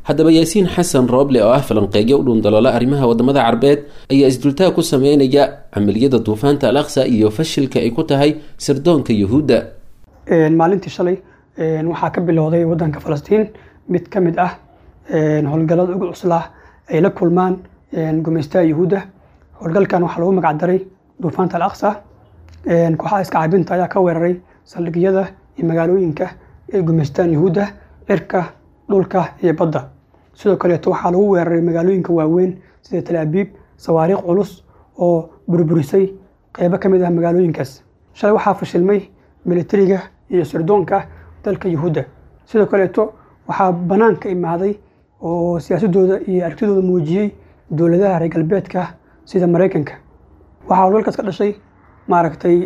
Haddaba Yaasiin Xasan Rooble oo ah falanqeegyo u dhuundaloola arrimaha wadamada Carbeed ayaa isdultaag ku sameynaya camaliyada Duufaanta Al Aqsa iyo fashilka ay ku tahay sirdoonka Yuhuudda. Maalintii shalay waxaa ka bilowday wadanka Falastiin mid ka mid ah howlgallada ugu cuslaa ay la kulmaan gumaystaha Yuhuudda. Howlgalkan waxaa lagu magac daray Duufaanta Al Aqsa. Kooxaha iska caabinta ayaa ka weeraray saldhigyada iyo magaalooyinka ay gumaystaan Yuhuudda, cirka, dhulka iyo badda. Sidoo kaleeto waxaa lagu weeraray magaalooyinka waaweyn sida Tal Abiib sawaariikh culus oo burburisay qeybo ka mid ah magaalooyinkaas. Shalay waxaa fashilmay militariga iyo sirdoonka dalka Yuhuudda. Sidoo kaleeto waxaa banaanka imaaday oo siyaasadooda iyo aragtidooda muujiyey dowladaha reer galbeedka sida Maraykanka. Waxaa howlgalkaas ka dhashay maaragtay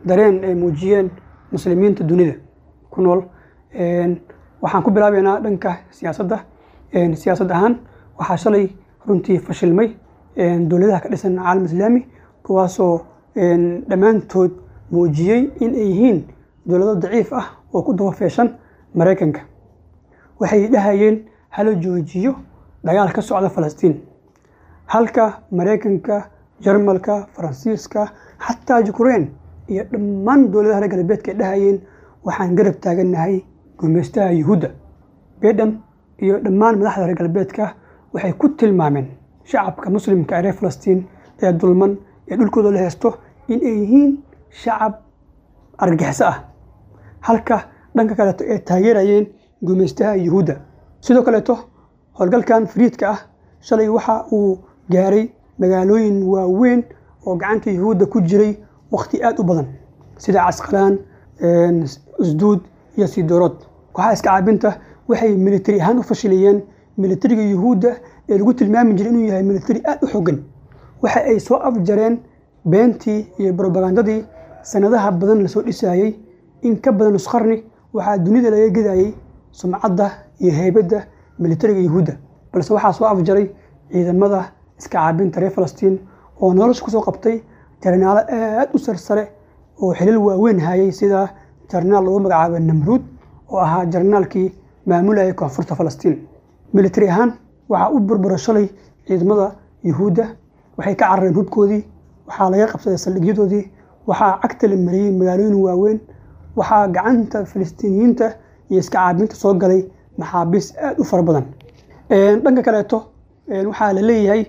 dareen ay muujiyeen muslimiinta dunida ku nool. Waxaan ku bilaabeynaa dhanka siyaasadda. Siyaasad ahaan waxaa shalay runtii fashilmay dowladaha ka dhisan caalam islaami, kuwaasoo dhammaantood muujiyey in ay yihiin dowlado daciif ah oo ku dabafeeshan Maraykanka. Waxay dhahayeen hala joojiyo dagaal ka socda Falastiin, halka Maraykanka, Jarmalka, Faransiiska, xataa Ukraine iyo dhammaan dowladaha reer galbeedka ay dhahayeen waxaan garab taagannahay gumaystaha Yuhuudda. Biden iyo dhammaan madaxda reer galbeedka waxay ku tilmaameen shacabka muslimka ee reer Falastiin ee dulman ee dhulkooda la haysto in ay yihiin shacab argagixiso ah, halka dhanka kaleeto ay taageerayeen gumaystaha Yuhuudda. Sidoo kaleeto howlgalkan fariidka ah shalay waxa uu gaaray magaalooyin waaweyn oo gacanta Yuhuudda ku jiray waqti aad u badan, sida Casqalaan, Usduud iyo Sidoorood. Kooxaha iska caabinta waxay militari ahaan u fashiliyeen militariga Yuhuudda ee lagu tilmaami jiray inuu yahay militari aad u xooggan. Waxa ay soo afjareen beentii iyo brobagandadii sanadaha badan lasoo dhisayey. In ka badan nus qarni waxaa dunida laga gedayey sumcadda iyo heybadda militariga Yuhuudda, balse waxaa soo afjaray ciidamada iska caabinta reer Falastiin oo nolosha kusoo qabtay jarnaalo aad u sarsare oo xilal waaweyn hayay, sida jarnaal lagu magacaabo Namruud oo ahaa jarnaalkii maamulayay koonfurta Falastiin. Militari ahaan waxaa u burbura shalay ciidamada Yuhuudda, waxay ka carareen hubkoodii, waxaa laga qabsaday saldhigyadoodii, waxaa cagta la mariyey magaalooyin waaweyn, waxaa gacanta Falastiiniyiinta iyo iska caabinta soo galay maxaabiis aad u fara badan. Dhanka kaleeto waxaa la leeyahay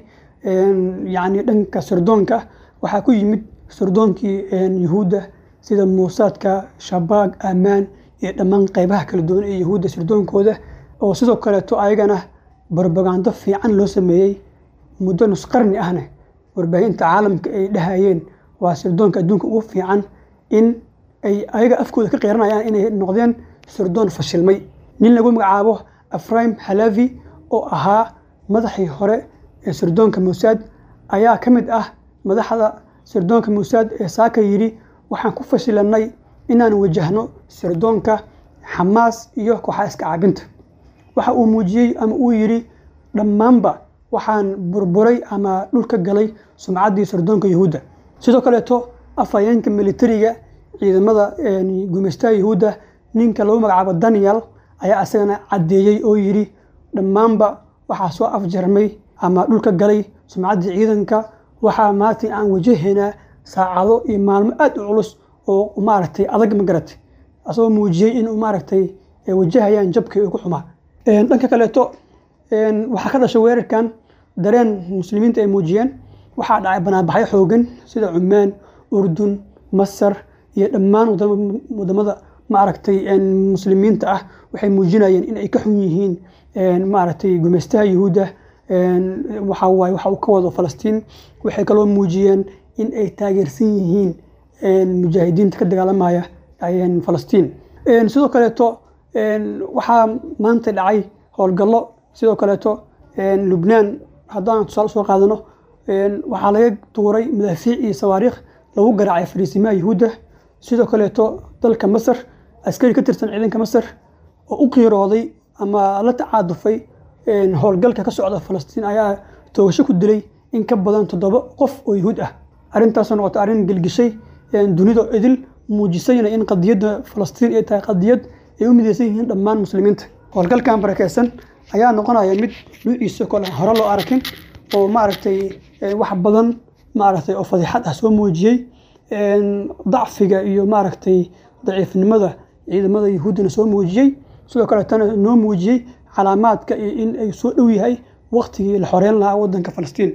yacni dhanka sirdoonka waxaa ku yimid sirdoonkii Yuhuudda sida Muusaadka, Shabaag, Ammaan iyo dhammaan qeybaha kala duwan ee Yuhuudda sirdoonkooda, oo sidoo kaleeto ayagana barbagando fiican loo sameeyey muddo nus qarni ahna warbaahinta caalamka ay dhahayeen waa sirdoonka adduunka ugu fiican, in ay ayaga afkooda ka qeeranayaan inay noqdeen sirdoon fashilmay. Nin lagu magacaabo Afraim Halavi oo ahaa madaxii hore ee sirdoonka Mossad ayaa ka mid ah madaxda sirdoonka Mossad ee saaka yidhi waxaan ku fashilanay inaan wajahno sirdoonka Xamaas iyo kooxaha iska caabinta. Waxa uu muujiyey ama uu yidhi dhammaanba waxaan burburay ama dhulka galay sumcaddii sirdoonka Yuhuudda. Sidoo kaleeto afhayeenka militariga ciidamada gumaystaha Yuhuudda, ninka lagu magacaabo Daniel, ayaa isagana caddeeyey oo yidhi dhammaanba waxaa soo afjarmay ama dhulka galay sumcaddii ciidanka, waxaa maanta aan wajahaynaa saacado iyo maalmo aad u culus oo maaragtay adag, ma garatay, asagoo muujiyey inuu maaragtay ay wajahayaan jabkii ugu xumaa. Dhanka kaleeto waxaa ka dhashay weerarkan dareen muslimiinta ay muujiyeen. Waxaa dhacay banaanbaxyo xoogan sida Cumaan, Urdun, Masar iyo dhammaan wadamada maaragtay muslimiinta ah, waxay muujinayeen in ay ka xun yihiin maaragtay gumaystaha Yuhuudda waxa waaye waxa uu ka wado Falastiin. Waxay kaloo muujiyeen in ay taageersan yihiin mujaahidiinta ka dagaalamaya Falastiin. Sidoo kaleeto waxaa maanta dhacay howlgallo. Sidoo kaleeto Lubnaan haddaan tusaale soo qaadano, waxaa laga tuuray madaafiic iyo sawaariikh lagu garaacay fariisimaha Yuhuudda. Sidoo kaleeto dalka Masar askari ka tirsan ciidanka Masar oo u qiirooday ama la tacaadufay howlgalka ka socda Falastiin ayaa toogasho ku dilay in ka badan 7 qof oo Yuhuud ah. Arrintaasoo noqotay arrin gelgishay dunida idil, muujisayna in qadiyadda Falastiin ay tahay qadiyad ay u mideysan yihiin dhammaan muslimiinta. Howlgalkan barakeysan ayaa noqonaya mid nuuciisa kole hore loo arkin, oo maaragtay wax badan maaragtay oo fadiixad ah soo muujiyey, dacfiga iyo maaragtay daciifnimada ciidamada Yuhuuddana soo muujiyey, sidoo kaleetana noo muujiyey calaamaadka iyo in ay soo dhow yahay waqtigii la xoreyn lahaa wadanka Falastiin.